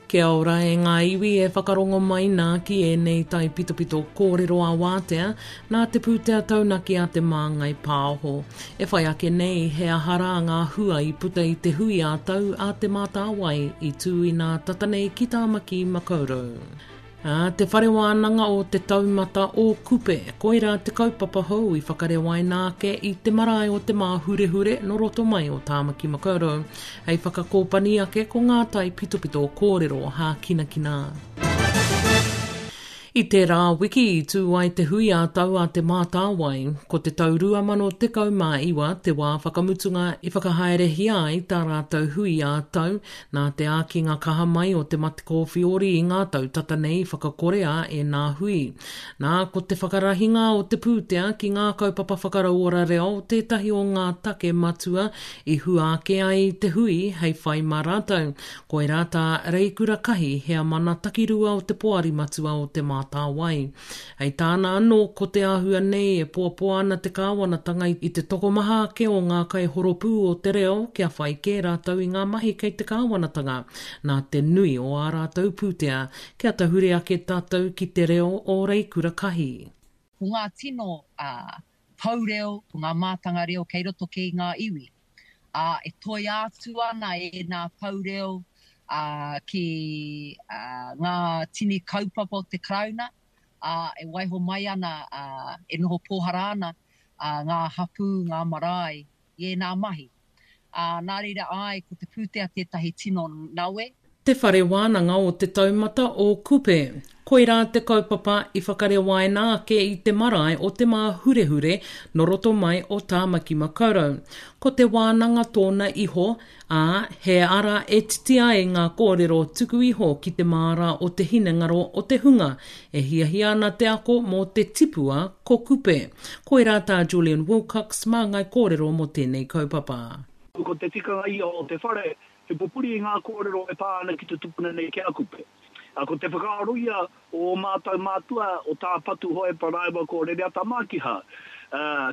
Kia ora e ngā iwi e whakarongo mai nā ki ēnei taipitopito kōrero ā-wātea nā te pūtea taunaki a Te Māngai Pāho. E whai ake nei he aha rā ngā hua i puta i te hui ā-tau a Te Mātāwai i tū inā tata nei ki Tāmaki Makaurau. Ā, Te Whare Wānanga o Te Taumata o Kupe, koirā te kaupapa hou i whakarewaina ake i te marae o Te Māhurehure nō roto mai o Tāmaki Makaurau, hei whakakōpani ake ko ngā taipitopito kōrero hākinakina. I tērā wiki i tū ai te hui ā-tau a Te Mātāwai, ko te tau 2019 te wā whakamutunga i whakahaerehia ai tā rātou hui ā-tau, Nā te ākinga kaha mai o te mate kōwhiori i ngā tau tata nei i whakakorea ēnā hui. Nā, ko te whakarahinga o te pūtea ki ngā kaupapa whakarauora reo tētahi o ngā take matua i hua ake ai te hui hei whai mā rātou. Koirā tā Reikura Kahi, heamana takirua o te Poari Matua o Te Mātāwai. Hei tāna anō, ko te āhua nei e poapoa ana te kāwanatanga i te tokomaha ake o ngā kaihoropū o te reo kia whai kē rātou i ngā mahi kei te kāwanatanga, nā te nui o ā rātou pūtea, kia tahuri ake tātou ki te reo o Reikura Kahi. Ko ngā tino pou reo, ko ngā mātanga reo kei roto kei ngā iwi, ā, e toia atu ana ēnā pou reo ki ngā tini kaupapa o te Karauna, ā, e waiho mai ana, ā, e noho pōhara ana ngā hapū, ngā marae i ēnā mahi. Ā, nā reira, āe, ko te pūtea tētahi tino nawe. Te Whare Wānanga o Te Taumata o Kupe. Koirā te kaupapa i whakarewaina ake i te marae o Te Māhurehure nō roto mai o Tāmaki Makaurau. Ko te wānanga tōna iho, ā, he ara e titi ai ngā kōrero tuku iho ki te māra o te hinengaro o te hunga e hiahia ana te ako mō te tipua ko Kupe. Koirā tā Julian Wilcox māngai kōrero mō tēnei kaupapa. Ko te tikanga ia o te whare, he pupuri i ngā kōrero e pā ana ki te tupuna nei ki a Kupe. Ko te whakaaro ia o ō mātau mātua, o Tā Patu Hohepa rāua ko Rereata Mākiha,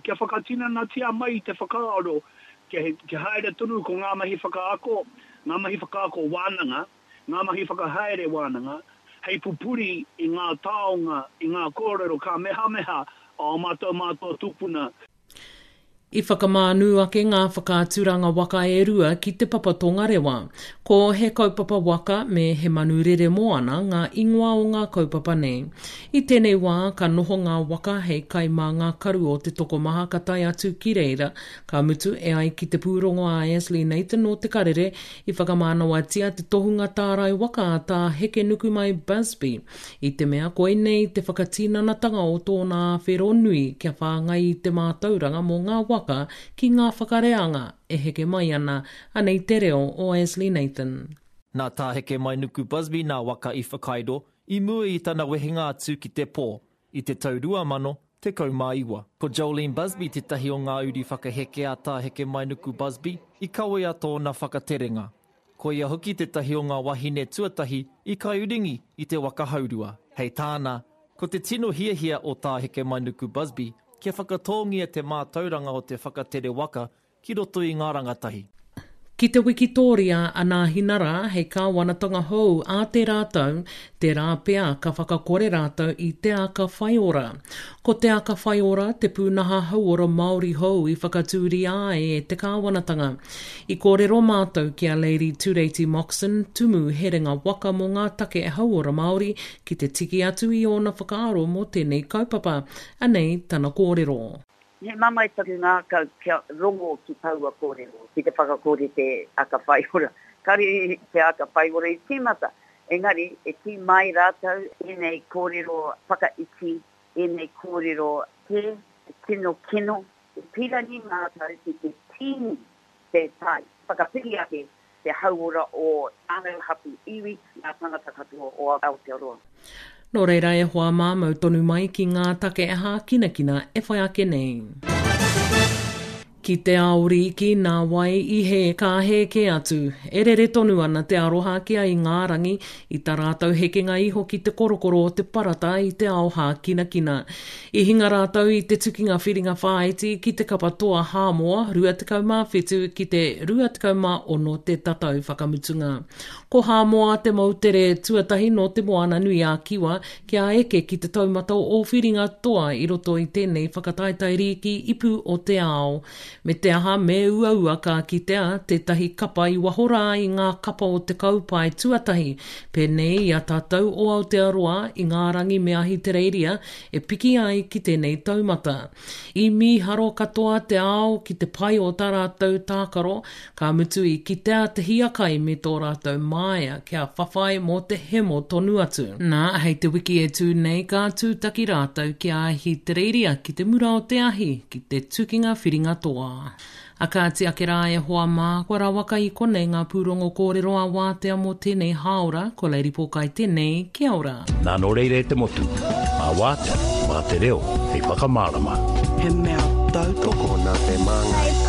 kia whakatinanatia mai te whakaaro Kia haere tonu ko ngā mahi whakaako, ngā mahi whakaako wānanga, ngā mahi whakahaere wānanga, hei pupuri i ngā taonga, i ngā kōrero kāmehameha a ō mātou mātua tūpuna. I whakamānū ake ngā whakaaturanga waka e rua ki Te Papa Tongarewa. Ko He Kaupapa Waka me He Manu Rere Moana ngā ingoa o ngā kaupapa nei. I tēnei wā, ka noho ngā waka hei kai mā ngā karu o te tokomaha ka tae atu ki reira, Ka mutu, e ai ki te pūrongo a Ashley Nathan nō Te Karere, i whakamānawatia te tohunga tārai waka a Tā Hekenukumai Busby, i te mea koinei te whakatinanatanga o tōna āwhero nui kia whāngai i te mātauranga mō ngā waka ki ngā whakareanga e heke mai ana, anei te reo o Ashley Nathan. Nā Tā Hekemainuku Busby nā waka i whakairo i mua i tana wehenga atu ki te pō, I te tau 2019, ko Jolene Busby tētahi o ngā uri whakaheke a Tā Hekemainuku Busby i kawea tōna whakaterenga. Ko ia hoki tētahi o ngā wahine tuatahi i kaiuringi i te waka haurua. Hei tāna, ko te tino hiahia o Tā Hekemainuku Busby kia whakatōngia te mātauranga o te whakatere waka ki roto i ngā rangatahi. Ki te wikitōria a Nāhinara hei kāwanatanga hou ā tērā tau, tērā pea ka whakakore rātou i Te Aka Whaiora. Ko Te Aka Whaiora te pūnaha hauora Māori hou i whakatūria ai e te kāwanatanga. I kōrero mātou ki a Lady Tureiti Moxon, Tumu Herenga Waka mō ngā take hauora Māori, ki te tiki atu i ōna whakaaro mō tēnei kaupapa. Anei tana kōrero. He mamae taku ngākau kia rongo ki taua kōrero, ki te whakakore te aka whaiora. Kare te aka whaiora i tīmata, engari e kī mai rātou ēnei kōrero whakaiti, ēnei kōrero hē, tino kino. E pīrangi mātou ki te tīni te tai, whakapiki ake te hauora o whānau, hapū, iwi, ngā tangata katoa o Aotearoa. Nō reira e hoa mā, mau tonu mai ki ngā take hākinakina e whai ake nei. Ki te ao rīki, nā wai i hē ka hē kē atu. E rere tonu ana te aroha ki a Ingārangi i tā rātou hekenga iho ki te korokoro o te parata i te ao hākinakina. I hinga rātou i te tukinga whiringa whāiti ki te kapa toa Hāmoa 27 ki te 26 te tatau whakamutunga. Ko Hāmoa te moutere tuatahi nō Te Moana-nui-a-Kiwa kia eke ki te taumata o whiringa toa i roto i tēnei whakataetae rīki ipu o te ao. Me te aha, me uaua ka kitea tētahi kapa i waho rā i ngā kapa o te kaupae tuatahi, pēnei i a tātou o Aotearoa, Ingarangi me Ahitereiria e piki ai ki tēnei taumata. I mīharo katoa te ao ki te pai o tā rātou tākaro, ka mutu i kitea te hiakai me tō rātou māia kia whawhai mō te hemo tonu atu. Nā, hei te wiki e tū nei ka tūtaki rātou ki a Ahitereiria ki te mura o te ahi, ki te tukinga whiringa toa. A kāti ake rā e hoa mā, kua rawaka i konei ngā pūrongo kōrero a Wātea mō tēnei hāora, ko Lady Pōkai tēnei, kia ora. Nā nō reira e te motu, mā Wātea, mā te reo hei whakamārama. He mea tautoko nā te Māngai.